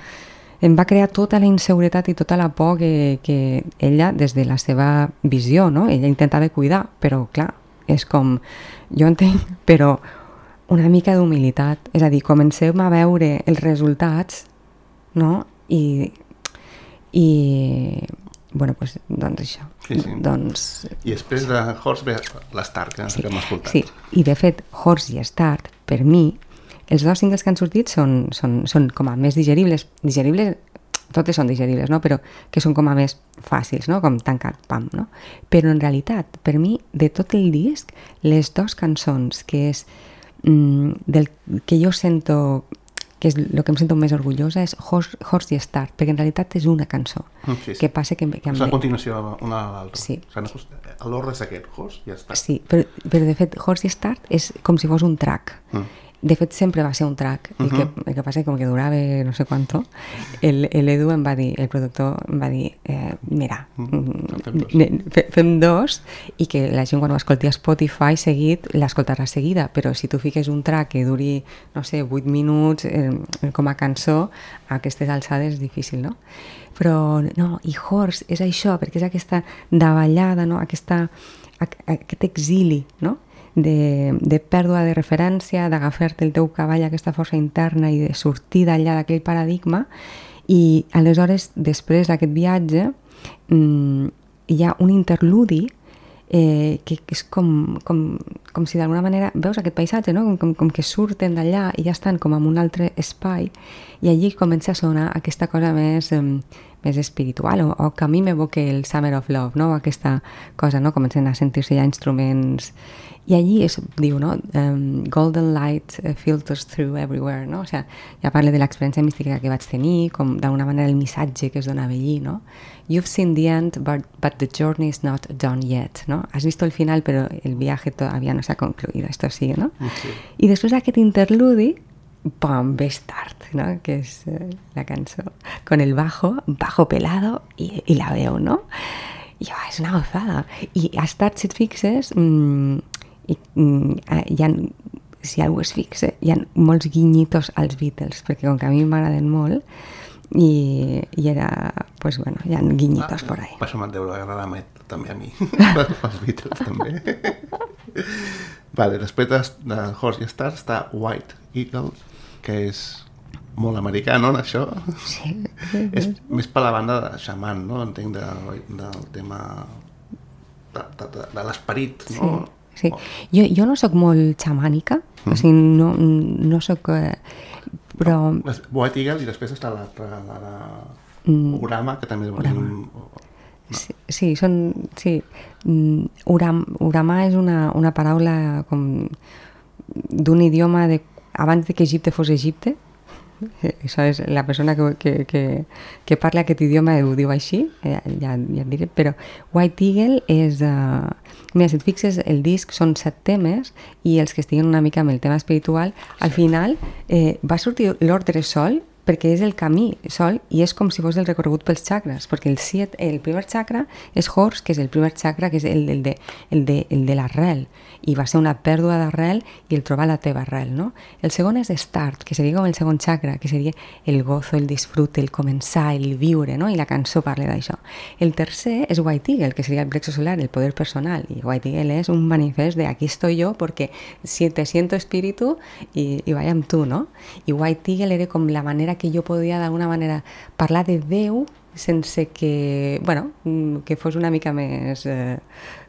Em va crear tota la inseguretat i tota la por que, que ella, des de la seva visió, no? Ella intentava cuidar, però clar, és com, jo entenc, però una mica d'humilitat, és a dir, comencem a veure els resultats, no? I, i bueno, pues, doncs això. Sí, sí. Doncs... I després de Horst ve l'Stark, que, sí. que hem escoltat. Sí, i de fet, Horst i Start, per mi, els dos singles que han sortit són, són, són com a més digeribles, digeribles, totes són digeribles, no? Però que són com a més fàcils, no? Com tancat, pam, no? Però en realitat, per mi, de tot el disc, les dues cançons que és del que jo sento, que és el que em sento més orgullosa, és Horst, Horst i Start, perquè en realitat és una cançó. Sí, sí. Que passa que... que és a continuació una a l'altra. Sí. L'ordre és aquest, Horst i Start. Sí, però, però de fet Horst i Start és com si fos un track. Mm. De fet, sempre va ser un track. El, uh-huh. que, el que passa és que com que durava no sé quanto, l'Edu em va dir, el productor em va dir, eh, mira, mm, fem, dos. fem dos i que la gent quan ho escolti a Spotify seguit, l'escoltarà seguida, però si tu fiques un track que duri, no sé, vuit minuts eh, com a cançó, a aquestes alçades és difícil, no? Però no, i Horst és això, perquè és aquesta davallada, no? Aquesta, aquest exili, no? De, de pèrdua de referència, d'agafar-te el teu cavall, aquesta força interna i de sortir d'allà d'aquell paradigma, i aleshores després d'aquest viatge mmm, hi ha un interludi eh, que, que és com, com, com si d'alguna manera veus aquest paisatge, no? com, com, com que surten d'allà i ja estan com en un altre espai, i allí comença a sonar aquesta cosa més, eh, més espiritual, o, o que a mi m'evoca el Summer of Love, no? Aquesta cosa, no? Comencen a sentir-se ja instruments. I allí es diu, no? Um, golden light filters through everywhere, no? O sigui, ja parla de l'experiència mística que vaig tenir, com d'alguna manera el missatge que es donava allí, no? You've seen the end, but, but the journey is not done yet, no? Has visto el final, però el viaje todavía no s'ha concluido, esto sigue, no? Sí. I després d'aquest interludi, pum, ve Start, ¿no? Que es eh, la cançó con el bajo, bajo pelado y, y la veu, no? I oh, és una gozada. I a Start, si et fixes, mmm, i, mmm, hi ha, si algú es fixa, hi ha molts guinyitos als Beatles, perquè com que a mi m'agraden molt, i, i era, pues bueno, hi ha guinyitos ah, por ahí. Per això m'han deure agradar també a mi, els Beatles també. Vale, després de, de Horst i Start està White Eagle, que és molt americà, no, això? Sí. És més per la banda de xaman, no? Entenc de, del tema de, de, de, de l'esperit, no? Sí. Sí. Jo, jo no sóc molt xamànica, mm. o sigui, no, no sóc... Eh, però... White Eagle i després està l'altre, la, mm. Urama, que també... Urama. Un... No. Sí, sí, són... Sí. Uram, Urama és una, una paraula com d'un idioma de, abans de que Egipte fos Egipte. Això és la persona que, que, que, que parla aquest idioma ho diu així, ja, ja et diré, però White Eagle és... Uh, mira, si et fixes, el disc són set temes i els que estiguen una mica amb el tema espiritual, al final eh, va sortir l'ordre sol perquè és el camí sol i és com si fos el recorregut pels xacres, perquè el, siet, el primer xacra és Horst, que és el primer xacra, que és el, el de, el de, el de l'arrel, i va ser una pèrdua d'arrel i el trobar la teva arrel, no? El segon és Start, que seria com el segon xacra, que seria el gozo, el disfrute, el començar, el viure, no? I la cançó parla d'això. El tercer és White Eagle, que seria el plexo solar, el poder personal, i White Eagle és un manifest de aquí estoy yo porque si te siento espíritu y, y vaya amb tu, no? I White Eagle era com la manera que jo podia d'alguna manera parlar de Déu sense que, bueno, que fos una mica més eh,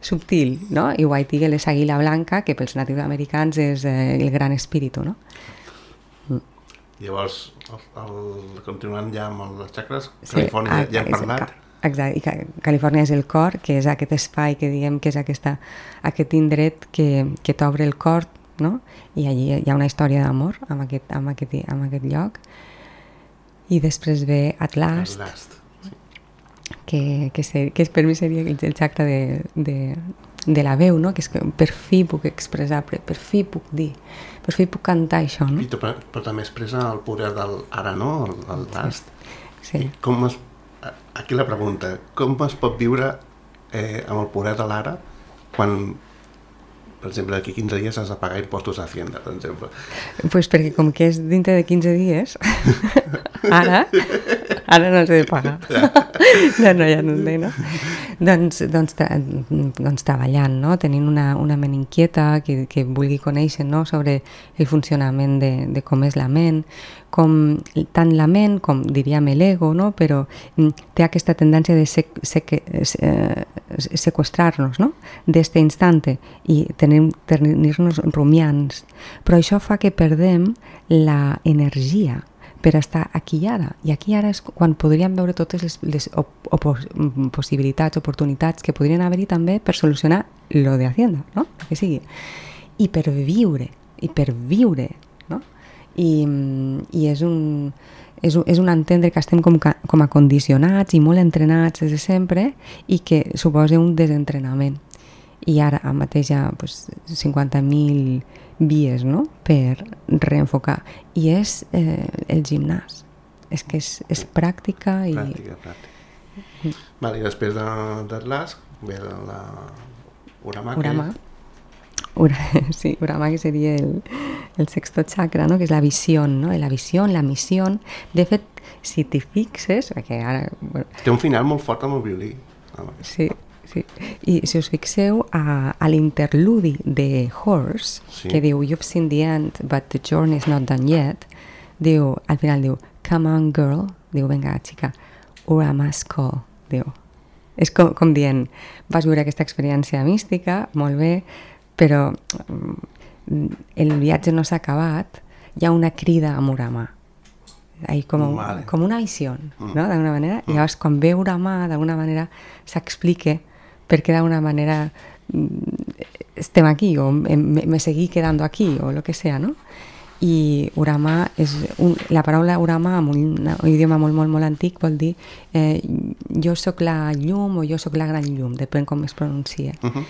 subtil, no? I White Eagle és àguila blanca, que pels natius americans és eh, el gran espíritu, no? Mm. Llavors, el, el, continuant ja amb els xacres, sí, Califòrnia ja hem parlat. Exacte, i Califòrnia és el cor, que és aquest espai que diguem que és aquesta, aquest indret que, que t'obre el cor no? I allí hi ha una història d'amor amb aquest, amb aquest, amb aquest lloc. I després ve At Last, At Last. Sí. que, que, ser, que per mi seria el, el tracte de, de, de la veu, no? Que és que per fi puc expressar, per, per fi puc dir, per fi puc cantar això, no? I tu, però, però també expressa el poder del ara, no? El, el Last. Sí. I com es, aquí la pregunta, com es pot viure eh, amb el poder de l'ara quan, per exemple, d'aquí quinze dies has de pagar impostos a Hacienda, per exemple? Pues perquè com que és dintre de quinze dies, ara, ara no els he de pagar. No, no, ja no sé, no? Doncs, doncs, doncs treballant, no? Tenint una, una ment inquieta que, que vulgui conèixer, no? Sobre el funcionament de, de com és la ment, com tant la ment com diríem l'ego, no? Però té aquesta tendència de sec, sec, eh, seqüestrar-nos, no? D'este instante i tenir-nos rumiants. Però això fa que perdem la energia per estar aquí i ara. I aquí i ara és quan podríem veure totes les, les op, op, possibilitats, oportunitats que podrien haver-hi també per solucionar lo de Hacienda, no? Que sigui. I per viure, i per viure, no? I, i és un... És un, és un entendre que estem com, com a condicionats i molt entrenats des de sempre i que suposa un desentrenament. I ara mateix hi ha pues, cinquanta mil vies, no? Per reenfocar. I és eh, el gimnàs. És que és, és pràctica i... Pràctica, pràctica. Mm. Vale, i després d'Atlas ve la Urama. Urama. Ura, sí, Urama, que seria el, el sexto chakra, no? Que és la visió, no? La visió, la missió. De fet, si t'hi fixes, perquè ara... Bueno, té un final molt fort amb el violí. Sí, sí. I si us fixeu a, a l'interludi de Horse, sí, que diu You've seen the end, but the journey is not done yet, diu, al final diu Come on girl, diu, venga xica, Urama's call, diu. És com, com dient, vas viure aquesta experiència mística, molt bé, però el viatge no s'ha acabat, hi ha una crida a Urama. Ahí com, vale. Com una visió, no? D'alguna manera. I llavors, quan ve Urama, d'alguna manera s'explica per què d'alguna manera estem aquí, o me, me seguí quedando aquí, o lo que sea, no? I Urama, és un, la paraula Urama, en un, un idioma molt, molt, molt antic, vol dir eh, jo sóc la llum o jo sóc la gran llum, depèn com es pronuncia. Uh -huh.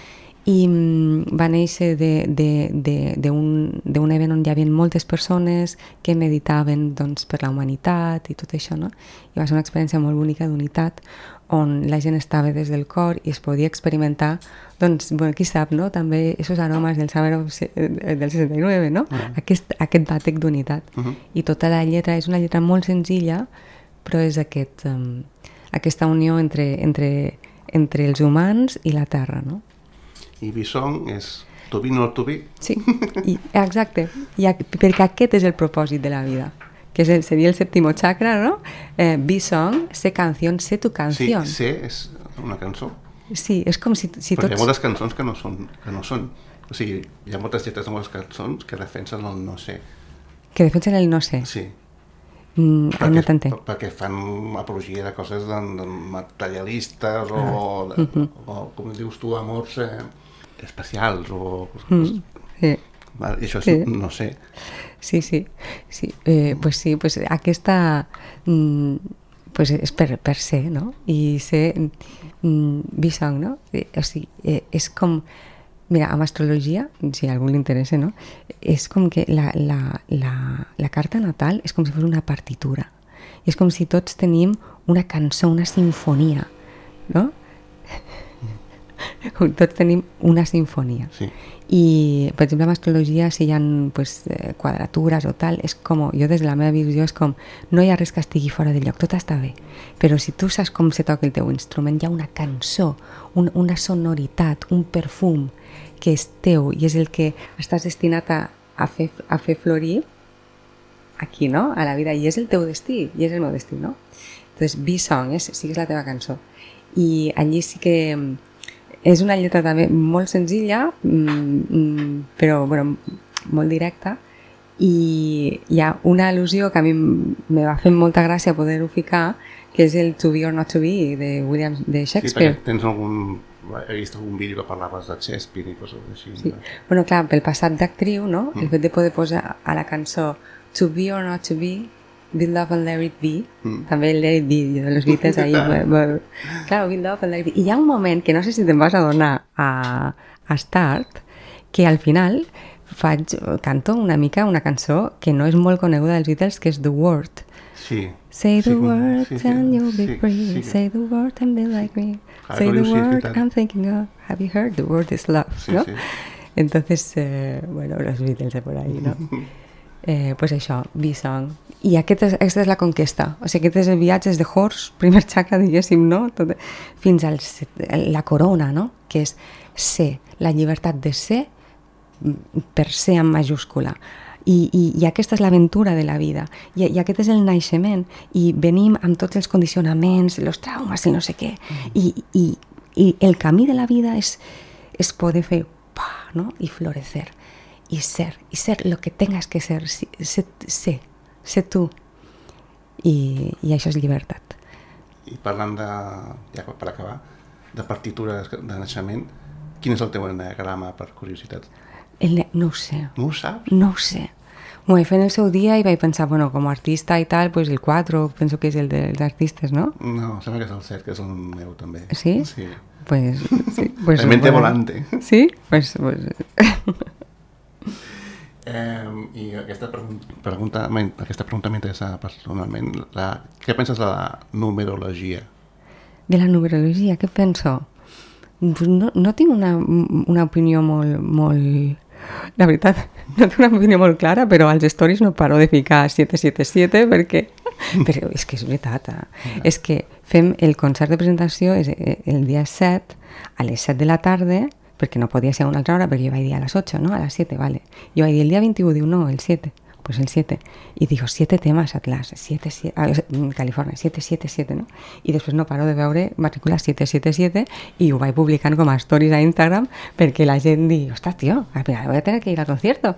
I mm, va néixer d'un event on hi havia moltes persones que meditaven doncs, per la humanitat i tot això, no? I va ser una experiència molt bonica d'unitat on la gent estava des del cor i es podia experimentar, doncs, bueno, qui sap, no? També aquests aromes del Summer del seixanta-nou, no? Uh -huh. Aquest, aquest bàtec d'unitat. Uh -huh. I tota la lletra és una lletra molt senzilla, però és aquest, um, aquesta unió entre, entre, entre els humans i la terra, no? I Visong és to be not to be. Sí, i, exacte, I, perquè aquest és el propòsit de la vida, que és el, seria el sèptimo chakra, no? Eh, Visong, sé canció, sé tu canció. Sí, sé és una cançó. Sí, és com si, si Però tots... hi ha moltes cançons que no són, que no són. O sigui, hi ha moltes lletres de moltes cançons que defensen el no sé. Que defensen el no sé. Sí. Mm, perquè, no t'entenc. perquè fan apologia de coses de, de materialistes o, de, uh-huh. o, com dius tu, amors eh, especials o... Mm, sí. I això és, sí. no sé. Sí, sí. sí. Eh, pues sí, pues aquesta... Mm, pues és per, per ser, no? I ser mm, Visong, no? O sigui, eh, és com... Mira, amb astrologia, si a algú li interessa, no? És com que la, la, la, la carta natal és com si fos una partitura. I és com si tots tenim una cançó, una sinfonia, no? Tots tenim una sinfonia. Sí. I, per exemple, en astrologia, si hi ha pues, quadratures o tal, és com, jo des de la meva visió és com, no hi ha res que estigui fora de lloc, tot està bé. Però si tu saps com se toca el teu instrument, hi ha una cançó, un, una sonoritat, un perfum que és teu i és el que estàs destinat a, a, fer, a fer florir aquí, no? A la vida, i és el teu destí, i és el meu destí, no? Entonces, Visong és, sí que és la teva cançó. I allí sí que és una lletra també molt senzilla, mm, però bueno, molt directa, i hi ha una al·lusió que a mi me va fer molta gràcia poder-ho ficar, que és el To Be or Not To Be de William de Shakespeare. Sí, perquè tens algun he vist algun vídeo que parlaves de Shakespeare i coses així. Sí. Bueno, clar, pel passat d'actriu, no? Mm. El fet de poder posar a la cançó To be or not to be, Build Up and Let It Be, mm. també el Let It Be de los Beatles ahí, claro, Build Up and Let It Be. I hi ha un moment que no sé si te'n vas adonar a, a Start, que al final faig, canto una mica una cançó que no és molt coneguda dels Beatles, que és The Word. Sí. Say the sí, word sí, sí, and you'll be sí, free. Sí, Say the word and be like me. Ah, Say the sí, word sí, I'm thinking of. Have you heard? The word is love, sí, ¿no? Sí. Entonces, eh, bueno, los Beatles de por ahí, ¿no? eh, pues això, B-Song. I aquest és, aquesta és la conquesta. O sigui, aquest és el viatge de Horse, primer xacra, diguéssim, no? Tot, fins a la corona, no? Que és ser, la llibertat de ser per ser en majúscula. I, i, i aquesta és l'aventura de la vida I, i aquest és el naixement i venim amb tots els condicionaments, els traumes i no sé què mm. I, i, i el camí de la vida és, és poder fer pa, ¿no? I florecer i ser, i ser lo que tengas que ser ser, ser, ser tu I, i això és llibertat. I parlant de, ja per acabar, de partitures de naixement, quin és el teu eneagrama, per curiositat? El, no ho sé. No ho saps? No ho sé. M'ho vaig fer en el seu dia i vaig pensar, bueno, com a artista i tal, pues el quatre, penso que és el dels artistes, no? No, sembla que és el set, que és el meu també. Sí? Sí. Pues, sí. Pues, la mente bueno. volante. Sí? Pues... pues... eh, I aquesta pregunta, aquesta pregunta m'interessa personalment. La, què penses de la numerologia? De la numerologia, què penso? No, no tinc una, una opinió molt, molt... La veritat, no tinc una opinió molt clara, però als stories no paro de ficar set set set perquè... Però és que és veritat, eh? Ja. És que fem el concert de presentació és el dia set, a les set de la tarda, perquè no podia ser a una altra hora, perquè jo vaig dir a les ocho, ¿no? A les siete, vale. Jo vaig dir el dia veintiuno, diu no, el siete. Pues el siete. Y digo, siete temas Atlas, siete, siete, ah, California, siete siete siete, ¿no? I després no paro de veure matrícula siete siete siete i ho vaig publicant com a stories a Instagram perquè la gent digui, ostres, tio, voy a tener que ir al concierto.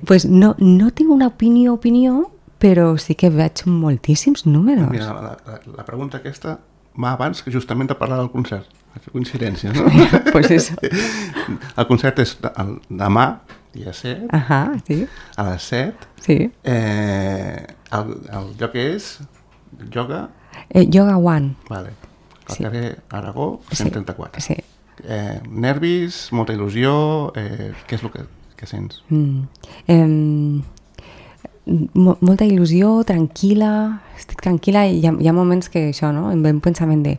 Pues no, no tinc una opinió, opinió, però sí que veig moltíssims números. Mira, la, la, la pregunta aquesta va abans que justament de parlar del concert. Coincidència, no? Pues eso. El concert és el, demà, dia set, Ajá, sí. a les set. Sí. Eh, el, el lloc és Yoga... Eh, Yoga One. Vale. Al Sí. carrer Aragó, cent trenta-quatre. Sí. Eh, nervis, molta il·lusió, eh, què és el que, que sents? Mm. Eh, mo molta il·lusió, tranquil·la, estic tranquil·la i hi ha, hi ha moments que això, no? Em ve un pensament de,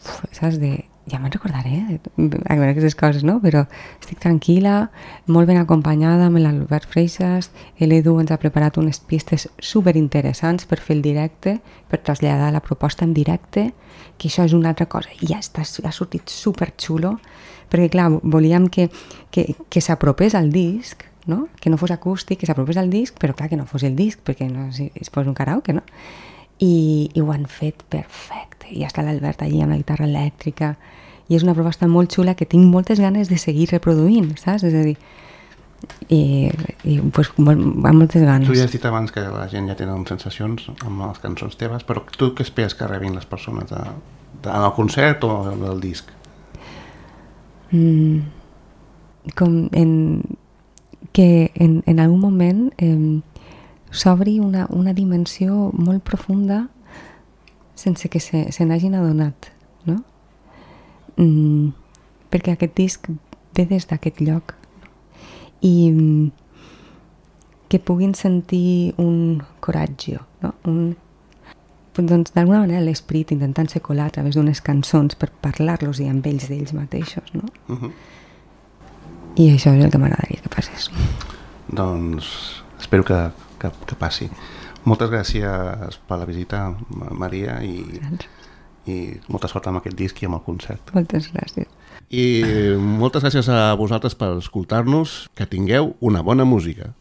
uf, saps, de, ja me'n recordaré, de, aquestes coses, no? Però estic tranquil·la, molt ben acompanyada amb l'Albert Freixas, l'Edu ens ha preparat unes pistes superinteressants per fer el directe, per traslladar la proposta en directe, que això és una altra cosa, i ja està, ha sortit superxulo, perquè clar, volíem que, que, que s'apropés al disc, no? Que no fos acústic, que s'apropés al disc, però clar que no fos el disc, perquè no si es fos un karaoke, no? I, i ho han fet perfecte, i ja està l'Albert allí amb la guitarra elèctrica, i és una proposta molt xula que tinc moltes ganes de seguir reproduint, saps? És a dir, i, i pues, amb moltes ganes. Tu ja has dit abans que la gent ja té sensacions amb les cançons teves, però tu què esperes que rebin les persones de, de, en el concert o del disc? Mm, com en, que en, en algun moment eh, s'obri una, una dimensió molt profunda sense que se, se n'hagin adonat, no? Mm, perquè aquest disc ve des d'aquest lloc i mm, que puguin sentir un coratge, no? Un, doncs d'alguna manera l'esperit intentant-se colar a través d'unes cançons per parlar-los i amb ells d'ells mateixos, no? Uh-huh. I això és el que m'agradaria que passés. Doncs espero que, que, que passi. Moltes gràcies per la visita, Maria, i, i molta sort amb aquest disc i amb el concert. Moltes gràcies. I moltes gràcies a vosaltres per escoltar-nos. Que tingueu una bona música.